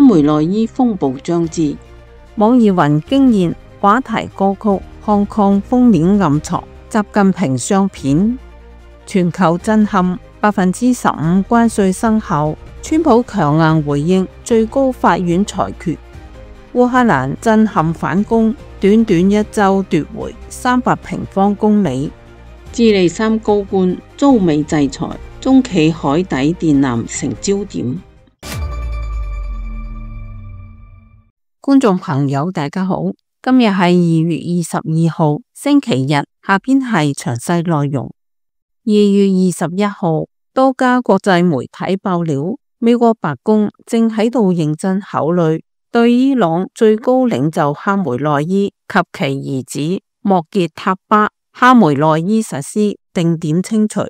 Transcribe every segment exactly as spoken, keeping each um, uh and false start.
梅內伊風暴將至，網易雲驚艷話題歌曲 Hong Kong 封面暗藏習近平相片，全球震撼，百分之十五關稅生效，川普強硬回應最高法院裁決，烏克蘭震撼反攻，短短一周奪回三百平方公里，智利三高官遭美制裁，中企海底電纜成焦點。觀眾朋友大家好，今日係二月二十二號星期日，下邊係詳細內容。二月二十一號，多家國際媒體爆料，美國白宮正喺度認真考慮對伊朗最高領袖哈梅內伊及其兒子莫傑塔巴哈梅內伊實施定點清除，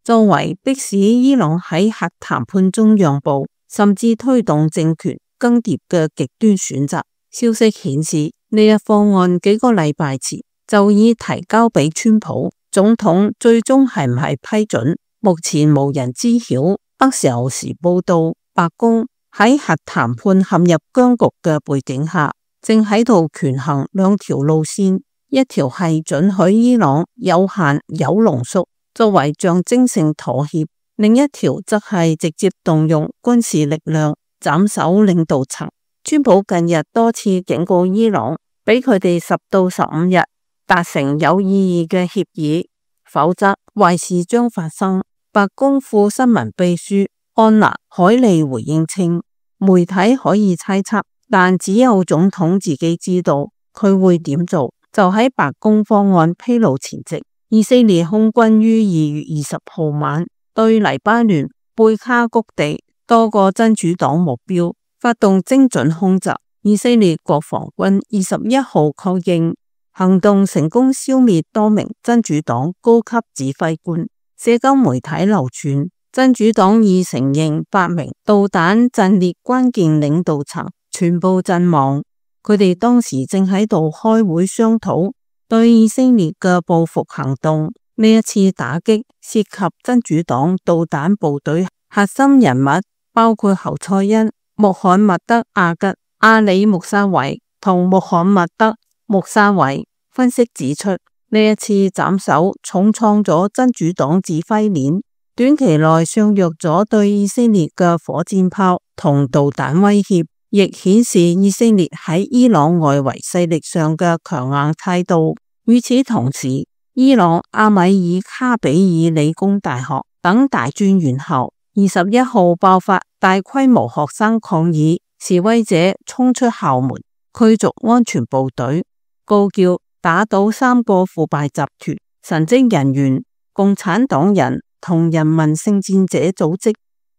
作為迫使伊朗喺核談判中讓步，甚至推動政權更迭嘅極端選擇。消息顯示，呢一方案幾個禮拜前就已提交俾川普總統，最終係唔係批准，目前無人知曉。北時候時報道，白宮喺核談判陷入僵局嘅背景下，正喺度權衡兩條路線，一條係准許伊朗有限鈾濃縮作為象徵性妥協，另一條則係直接動用軍事力量斬首領導層。川普近日多次警告伊朗，俾佢哋十到十五日達成有意義嘅協議，否則壞事將發生。白宮副新聞秘書安娜海利回應稱，媒體可以猜測，但只有總統自己知道佢會點做。就喺白宮方案披露前夕，以色列空軍於二月二十號晚對黎巴嫩貝卡谷地多個真主黨目標發動精準空襲。以色列國防軍二十一號確認行動成功消滅多名真主黨高級指揮官。社交媒體流傳真主黨已承認八名導彈陣列關鍵領導層全部陣亡，佢哋當時正喺度開會商討對以色列嘅報復行動。呢一次打擊涉及真主黨導彈部隊核心人物，包括侯賽因、穆罕默德阿吉、阿里穆沙維同穆罕默德穆沙維。分析指出，呢一次斬首重創咗真主黨指揮鏈，短期內削弱咗對以色列嘅火箭炮同導彈威脅，亦顯示以色列喺伊朗外圍勢力上嘅強硬態度。與此同時，伊朗阿米爾卡比爾理工大學等大專院校二十一號爆發大規模學生抗議，示威者衝出校門，驅逐安全部隊，高叫打倒三個腐敗集團、神職人員、共產黨人同人民聖戰者組織。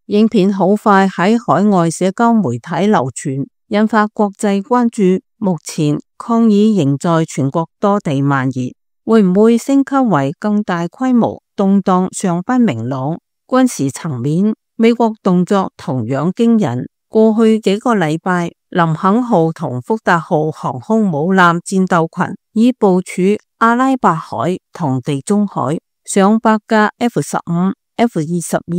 影片好快喺海外社交媒體流傳，引發國際關注。目前抗議仍在全國多地蔓延，會唔會升級為更大規模動盪尚不明朗。軍事層面，美國動作同樣驚人。過去幾個禮拜，林肯號同福特號航空母艦戰鬥群已部署阿拉伯海同地中海，上百架 F 十五、F 二十二、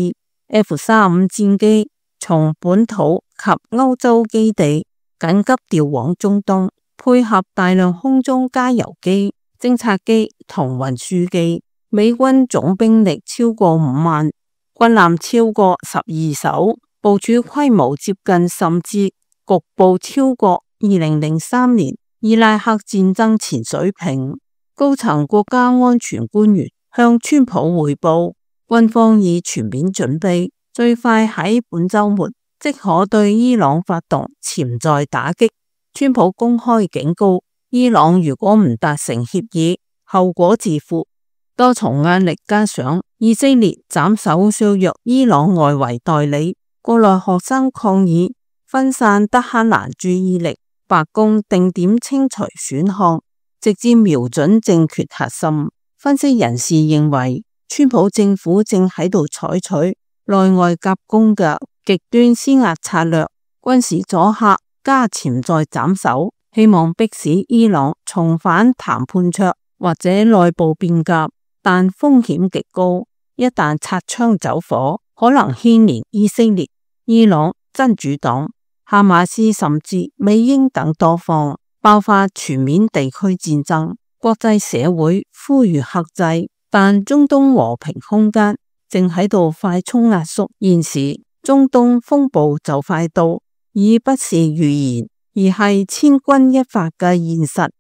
F 三十五戰機從本土及歐洲基地緊急調往中東，配合大量空中加油機、偵察機同運輸機。美軍總兵力超過五萬，軍艦超過十二艘，部署規模接近甚至局部超過二零零三年伊拉克戰爭前水平。高層國家安全官員向川普匯報，軍方已全面準備，最快喺本週末即可對伊朗發動潛在打擊。川普公開警告，伊朗如果唔達成協議，後果自負。多重壓力加上以色列斬首削弱伊朗外圍代理，國內學生抗議分散德黑蘭注意力，白宮定點清除選項，直接瞄準政權核心。分析人士認為，川普政府正喺度採取內外夾攻嘅極端施壓策略，軍事阻嚇加潛在斬首，希望迫使伊朗重返談判桌或者內部變革。但風險極高，一旦擦槍走火，可能牽連以色列、伊朗、真主黨哈馬斯甚至美英等多方爆發全面地區戰爭，國際社會呼籲克制，但中東和平空間正喺度快速壓縮。現時中東風暴就快到，已不是預言，而係千鈞一髮嘅現實。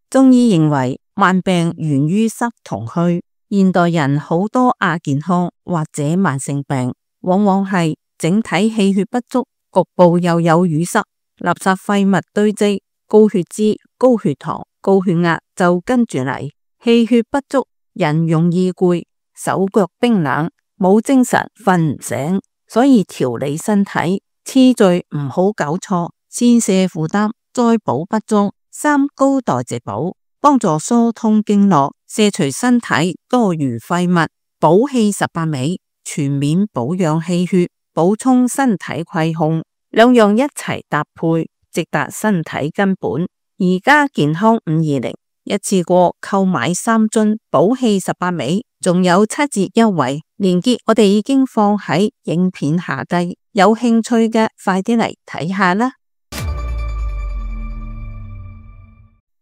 中醫認為慢病源於失同虛，現代人好多亞健康或者慢性病，往往係整體氣血不足，局部又有淤塞，垃圾廢物堆積，高血脂、高血糖、高血壓就跟住嚟。氣血不足，人容易攰，手腳冰冷，冇精神，瞓唔醒。所以調理身體次序唔好搞錯，先瀉負擔，再補不足，三高代謝補，幫助疏通經絡，卸除身體多餘廢物，補氣十八味，全面保養氣血，補充身體虧空，兩樣一齊搭配，直達身體根本。而家健康五二零一次過購買三樽補氣十八味，仲有七折優惠，鏈接我哋已經放喺影片下低，有興趣嘅快啲嚟睇下啦。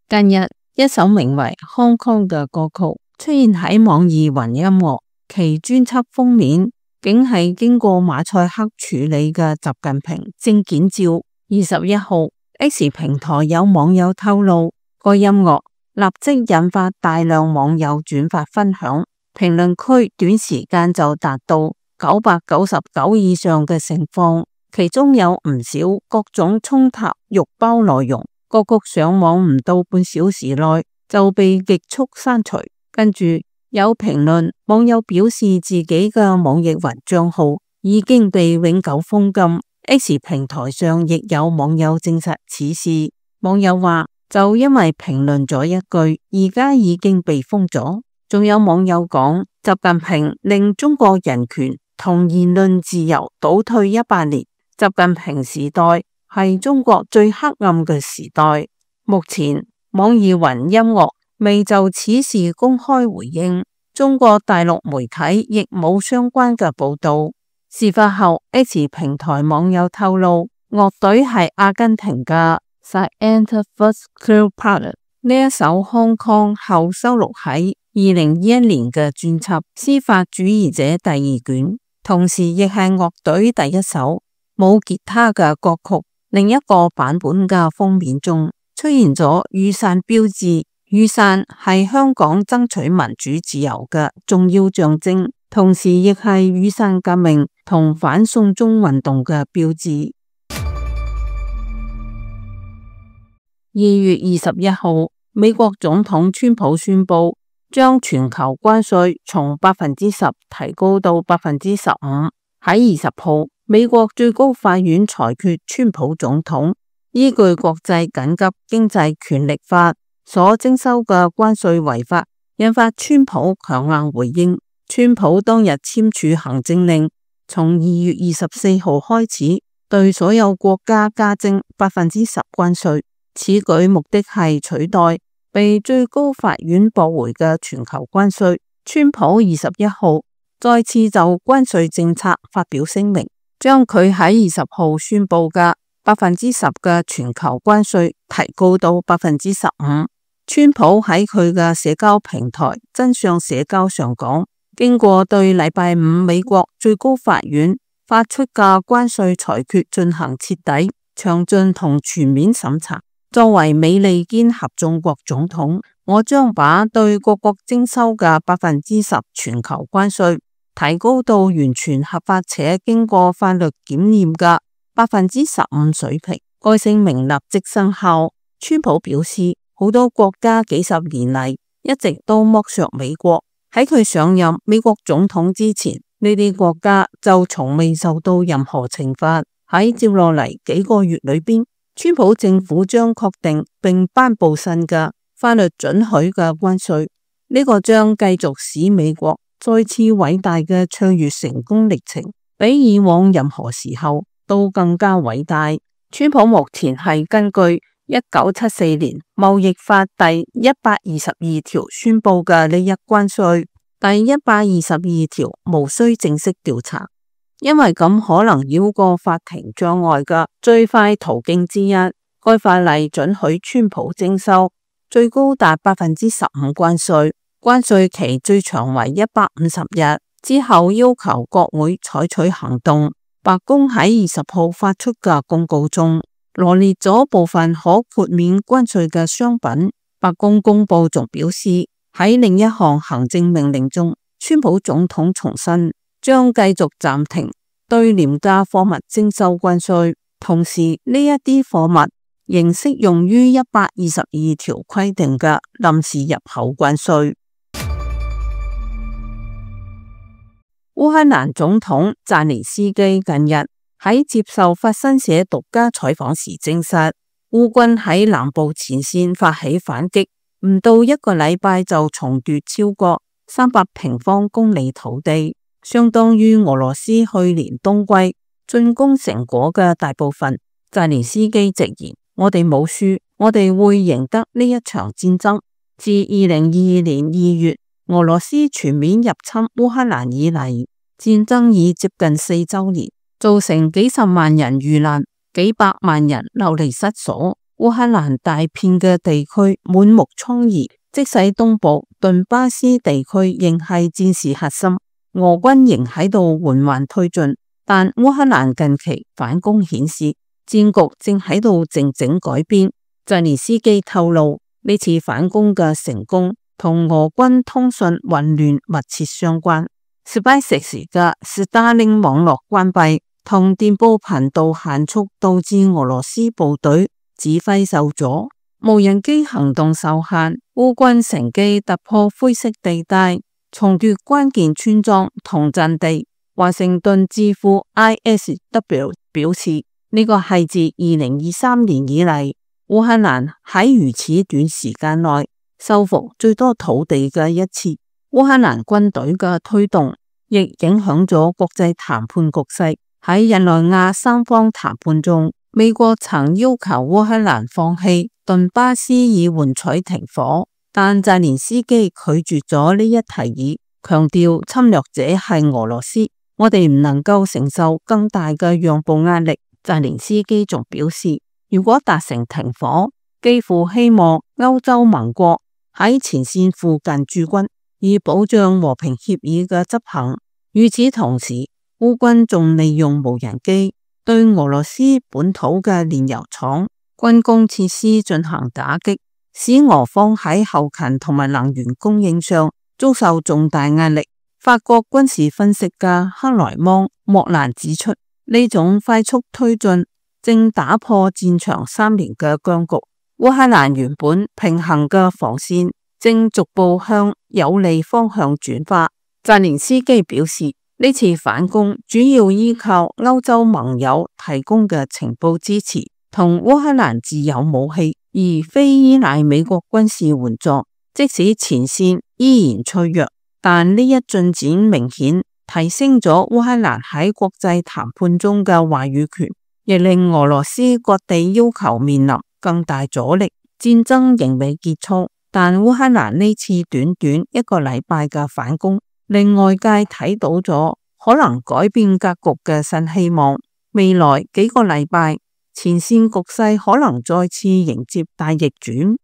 近日一首名為《Hong Kong》嘅歌曲出現喺網易雲音樂，其專輯封面竟係經過馬賽克處理嘅習近平證件照。二十一號 X 平台有網友透露，個音樂立即引發大量網友轉發分享，評論區短時間就達到九百九十九以上嘅盛況，其中有唔少各種衝突肉包內容，歌曲上網唔到半小時內就被極速刪除。跟住有評論網友表示自己嘅網易雲賬號已經被永久封禁。X 平台上亦有網友證實此事，網友話就因為評論咗一句，而家已經被封咗。仲有網友講，習近平令中國人權同言論自由倒退一百年，習近平時代係中國最黑暗嘅時代。目前網易雲音樂未就此事公開回應，中國大陸媒體亦冇相關嘅報道。事發後 X 平台網友透露，樂隊係阿根廷嘅 Scientific Cleopatra， 呢一首 Hong Kong 後收錄喺二零二一年嘅專輯《司法主義者》第二卷，同時亦係樂隊第一首冇吉他嘅歌曲。另一個版本嘅封面中出現咗雨傘標誌，雨傘係香港爭取民主自由嘅重要象徵，同時亦係雨傘革命同反送中運動嘅標誌。二月二十一號，美國總統川普宣布將全球關稅從百分之十提高到百分之十五。喺二十號，美國最高法院裁決川普總統依據國際緊急經濟權力法所徵收嘅關稅違法，引發川普強硬回應。川普當日簽署行政令，從二月二十四號開始對所有國家加徵百分之十關稅。此舉目的係取代被最高法院駁回嘅全球關稅。川普二十一號再次就關稅政策發表聲明，將佢喺二十號宣布嘅百分之十嘅全球關稅提高到百分之十五。川普喺佢嘅社交平台真相社交上講，經過對禮拜五美國最高法院發出嘅關稅裁決進行徹底、詳盡同全面審查，作為美利堅合眾國總統，我將把對各國徵收嘅百分之十全球關稅提高到完全合法且經過法律檢驗嘅百分之十五水平。該聲明立即生效。川普表示，好多國家幾十年嚟一直都剝削美國。喺佢上任美國總統之前，呢啲國家就從未受到任何懲罰。喺接落嚟幾個月裏邊，川普政府將確定並頒布新嘅法律准許嘅關稅，呢個將繼續使美國再次偉大嘅卓越成功歷程，比以往任何時候都更加偉大。川普目前係根據一九七四年貿易法第一百二十二條宣布嘅呢一關稅，第一百二十二條無需正式調查。因為咁可能繞過法庭障礙嘅最快途徑之一。該法例准許川普徵收最高達百分之十五關稅，關稅期最長為一百五十日，之後要求國會採取行動。白宮喺二十號發出嘅公告中羅列咗部分可豁免關稅嘅商品。白宮公佈仲表示，喺另一項行政命令中，川普總統重申將繼續暫停對廉價貨物徵收關稅，同時呢一啲貨物仍適用於一百二十二條規定嘅臨時入口關稅。烏克蘭總統澤連斯基近日喺接受法新社獨家採訪時證實，烏軍喺南部前線發起反擊，唔到一個禮拜就重奪超過三百平方公里土地，相當於俄羅斯去年冬季進攻成果嘅大部分。澤連斯基直言，我哋冇輸，我哋會贏得呢一場戰爭。自二零二二年二月俄羅斯全面入侵烏克蘭以嚟，戰爭已接近四周年，造成幾十萬人遇難，幾百萬人流離失所。烏克蘭大片嘅地區滿目瘡痍，即使東部頓巴斯地區仍係戰事核心，俄軍仍喺度緩緩推進，但烏克蘭近期反攻顯示戰局正喺度靜靜改變。澤連斯基透露，呢次反攻嘅成功同俄軍通訊混亂密切相關。SpaceX 嘅 Starlink 網絡關閉同電報頻道限速導致俄羅斯部隊指揮受阻，無人機行動受限，烏軍乘機突破灰色地帶，重奪關鍵村莊同陣地。華盛頓智庫 I S W 表示，呢個係自二零二三年以嚟烏克蘭喺如此短時間內收復最多土地嘅一次。烏克蘭軍隊嘅推動亦影響咗國際談判局勢。喺日內瓦三方談判中，美國曾要求烏克蘭放棄頓巴斯以換取停火，但澤連斯基拒絕咗呢一提議，強調侵略者係俄羅斯，我哋唔能夠承受更大嘅讓步壓力。澤連斯基仲表示，如果達成停火，幾乎希望歐洲盟國喺前線附近駐軍，以保障和平協議嘅執行。與此同時，烏軍仲利用無人機對俄羅斯本土嘅煉油廠、軍工設施進行打擊，使俄方喺後勤同埋能源供應上遭受重大壓力。法國軍事分析家克萊芒莫蘭指出，呢種快速推進正打破戰場三年嘅僵局。烏克蘭原本平衡嘅防線正逐步向有利方向轉化。澤連斯基表示，呢次反攻主要依靠歐洲盟友提供嘅情報支持同烏克蘭自有武器，而非依賴美國軍事援助。即使前線依然脆弱，但呢一進展明顯提升咗烏克蘭喺國際談判中嘅話語權，亦令俄羅斯割地要求面臨更大阻力。戰爭仍未結束，但烏克蘭呢次短短一個禮拜嘅反攻，令外界睇到咗可能改變格局嘅新希望。未來幾個禮拜，前線局勢可能再次迎接大逆轉。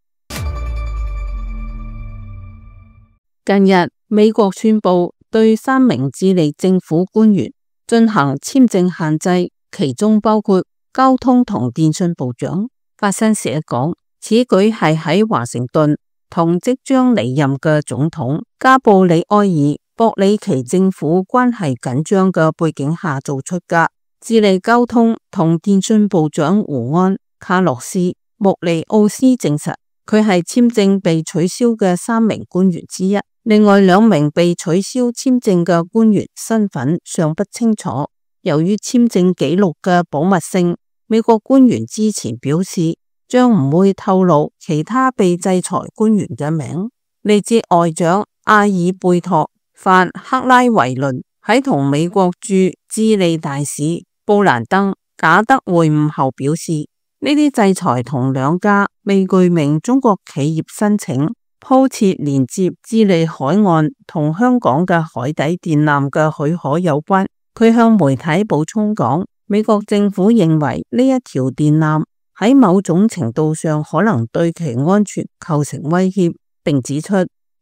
近日，美國宣布對三名智利政府官員進行簽證限制，其中包括交通同電信部長。法新社講，此舉係喺華盛頓同即將離任嘅總統加布里埃爾博里奇政府關係緊張嘅背景下做出㗎。智利交通同電信部長胡安卡洛斯穆利奧斯證實，佢係簽證被取消嘅三名官員之一。另外兩名被取消簽證嘅官員身份尚不清楚。由於簽證記錄嘅保密性，美國官員之前表示將唔會透露其他被制裁官員嘅名。嚟自外長阿爾貝托范克拉維倫喺同美國駐智利大使布蘭登賈德會晤後表示，呢啲制裁同兩家未具名中國企業申請鋪設連接智利海岸同香港嘅海底電纜嘅許可有關，佢向媒體補充講，美國政府認為呢一條電纜喺某種程度上可能對其安全構成威脅，並指出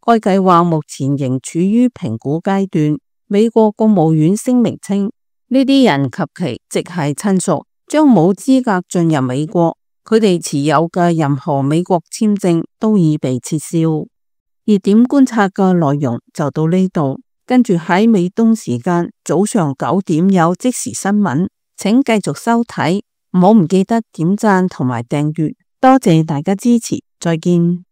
該計劃目前仍處於評估階段。美國國務院聲明稱，呢啲人及其直系親屬將冇資格進入美國，佢哋持有嘅任何美國簽證都已被撤銷。熱點觀察嘅內容就到呢度，跟住喺美東時間早上九點有即時新聞，請繼續收睇，唔好唔記得點讚同埋訂閱，多謝大家支持，再見。